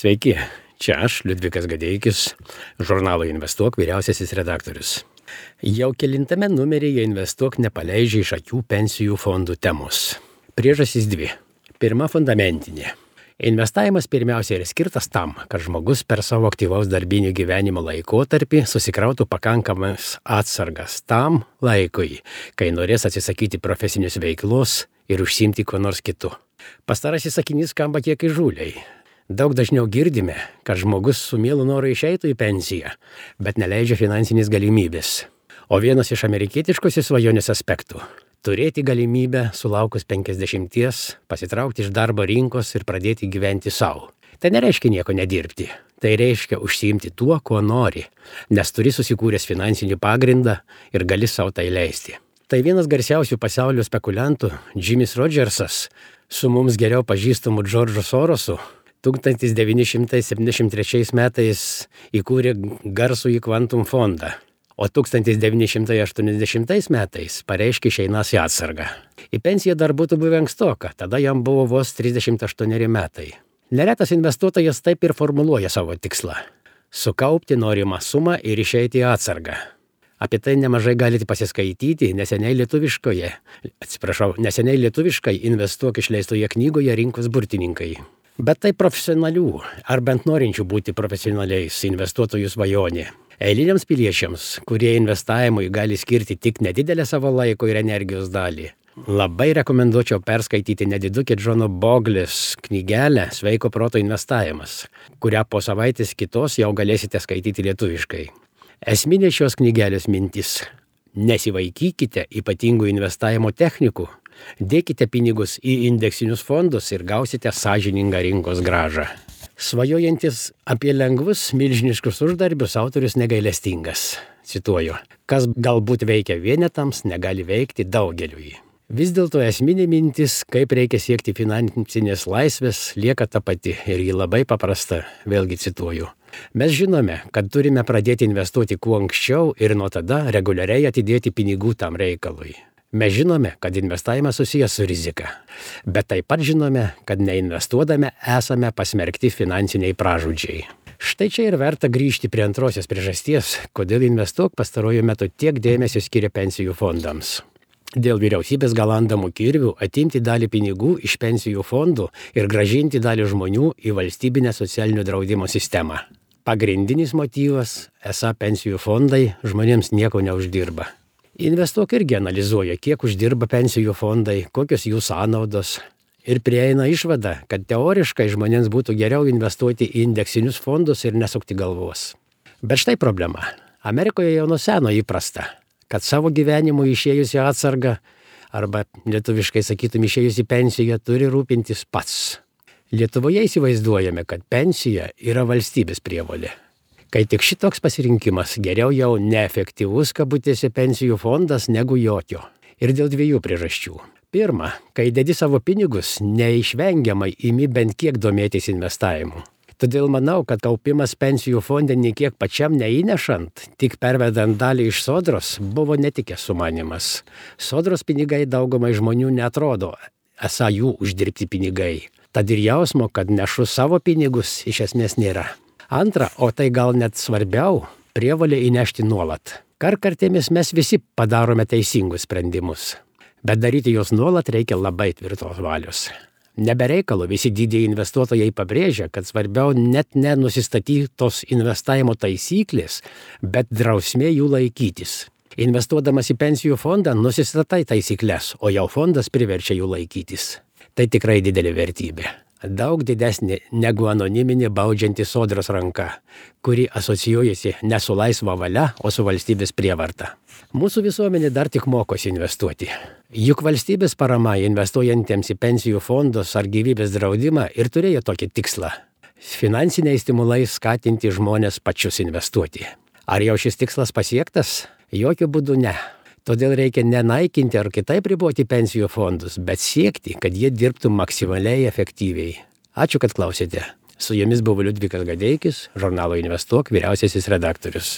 Sveiki, čia aš, Liudvikas Gadeikis, žurnalo Investuok vyriausiasis redaktorius. Jau kelintame numeryje Investuok nepaleidžia iš akių pensijų fondų temos. Priežastys dvi. Pirma, fundamentinė. Investavimas pirmiausia yra skirtas tam, kad žmogus per savo aktyvaus darbinio gyvenimo laikotarpį susikrautų pakankamas atsargas tam laikui, kai norės atsisakyti profesinės veiklos ir užsiimti kuo nors kitu. Pastarasis sakinys skamba kiek įžūliai. Daug dažniau girdime, kad žmogus su mielu noru išeitų į pensiją, bet neleidžia finansinės galimybės. O vienas iš amerikietiškosios svajonės aspektų – turėti galimybę sulaukus 50 pasitraukti iš darbo rinkos ir pradėti gyventi savo. Tai nereiškia nieko nedirbti, tai reiškia užsiimti tuo, ko nori, nes turi susikūręs finansinį pagrindą ir gali savo tai leisti. Tai vienas garsiausių pasaulio spekuliantų, Jimis Rodžersas, su mums geriau pažįstamu Džordžu Sorosu, 1973 metais įkūrė garsųjį Quantum fondą, o 1980 metais pareiškė išeinas į atsargą. Į pensiją dar būtų buvę ankstoka, tada jam buvo vos 38 metai. Neretas investuotojas taip ir formuluoja savo tikslą – sukaupti norimą sumą ir išeiti į atsargą. Apie tai nemažai galite pasiskaityti neseniai lietuviškai Investuok išleistoje knygoje Rinkos burtininkai. Bet tai profesionalių, ar bent norinčių būti profesionaliais investuotojų svajonė. Eiliniams piliečiams, kurie investavimui gali skirti tik nedidelę savo laiko ir energijos dalį, labai rekomenduočiau perskaityti nedidukė Džono Boglės knygelę Sveiko proto investavimas, kurią po savaitės kitos jau galėsite skaityti lietuviškai. Esminė šios knygelės mintis – nesivaikykite ypatingų investavimo technikų, dėkite pinigus į indeksinius fondus ir gausite sąžiningą rinkos grąžą. Svajojantis apie lengvus, milžiniškus uždarbius autorius negailestingas. Cituoju, kas galbūt veikia vienetams, negali veikti daugeliui. Vis dėlto esminė mintis, kaip reikia siekti finansinės laisvės, lieka ta pati ir ji labai paprasta, vėlgi cituoju. Mes žinome, kad turime pradėti investuoti kuo anksčiau ir nuo tada reguliariai atidėti pinigų tam reikalui. Mes žinome, kad investavimas susijęs su rizika, bet taip pat žinome, kad neinvestuodami esame pasmerkti finansiniai pražūdžiai. Štai čia ir verta grįžti prie antrosios priežasties, kodėl Investuok pastaruoju metu tiek dėmesio skiria pensijų fondams. Dėl vyriausybės galandamų kirvių atimti dalį pinigų iš pensijų fondų ir grąžinti dalį žmonių į valstybinę socialinio draudimo sistemą. Pagrindinis motyvas esą pensijų fondai žmonėms nieko neuždirba. Investuok irgi analizuoja, kiek uždirba pensijų fondai, kokios jų sąnaudos ir prieina išvada, kad teoriškai žmonėms būtų geriau investuoti į indeksinius fondus ir nesukti galvos. Bet štai problema. Amerikoje jau nuo seno įprasta, kad savo gyvenimu išėjus į atsargą arba lietuviškai sakytum išėjus į pensiją turi rūpintis pats. Lietuvoje įsivaizduojame, kad pensija yra valstybės prievolė. Kai tik šitoks pasirinkimas geriau jau neefektyvus kabutėse pensijų fondas negu jokio. Ir dėl dviejų priežasčių. Pirma, kai dedi savo pinigus, neišvengiamai imi bent kiek domėtis investavimu. Todėl manau, kad kaupimas pensijų fonde niekiek pačiam neįnešant, tik pervedant dalį iš sodros, buvo netikęs sumanymas. Sodros pinigai daugumai žmonių neatrodo, esą jų uždirbti pinigai. Tad ir jausmo, kad nešu savo pinigus, iš esmės nėra. Antra, o tai gal net svarbiau, prievolė įnešti nuolat. Kartkartėmis mes visi padarome teisingus sprendimus, bet daryti juos nuolat reikia labai tvirtos valios. Nebereikalo visi didieji investuotojai pabrėžia, kad svarbiau net nenusistatytos investavimo taisyklės, bet drausmė jų laikytis. Investuodamas į pensijų fondą nusistatai taisyklės, o jau fondas priverčia jų laikytis. Tai tikrai didelė vertybė. Daug didesnė negu anoniminė baudžianti sodros ranka, kuri asocijuojasi ne su laisva valia, o su valstybės prievarta. Mūsų visuomenė dar tik mokosi investuoti. Juk valstybės parama investuojantiems į pensijų fondus ar gyvybės draudimą ir turėjo tokį tikslą – finansiniai stimulai skatinti žmonės pačius investuoti. Ar jau šis tikslas pasiektas? Jokiu būdu ne. Todėl reikia nenaikinti ar kitaip riboti pensijų fondus, bet siekti, kad jie dirbtų maksimaliai efektyviai. Ačiū, kad klausėte. Su jumis buvo Liudvikas Gadeikis, žurnalo Investuok vyriausiasis redaktorius.